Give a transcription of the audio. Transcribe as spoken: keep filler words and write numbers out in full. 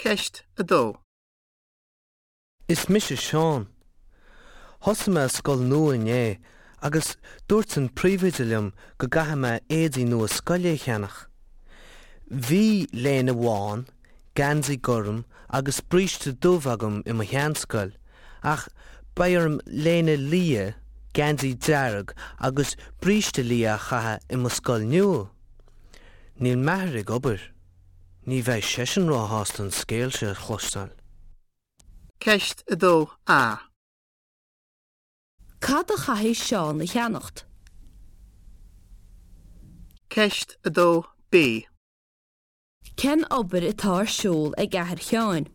Ceist a dó. Is mise Seán. Thosaigh mé scoil nua inné agus dúirt an príomhoide liom go gcaithfidh mé éadaí nua scoile a cheannach. Bhí léine bhán, geansaí gorm agus bríste dubh agam i mo sheanscoil, ach beidh orm léine liath, geansaí dearg agus bríste liath a chaitheamh i mo scoil nua. Níl m'athair ag obair. Ní bheidh seisean róshásta an scéal seo a chloisteáil. Ceist a dó A. Cad a chaithfidh Seán a cheannacht? Ceist a dó B. Cén obair atá ar siúl ag athair Sheáin?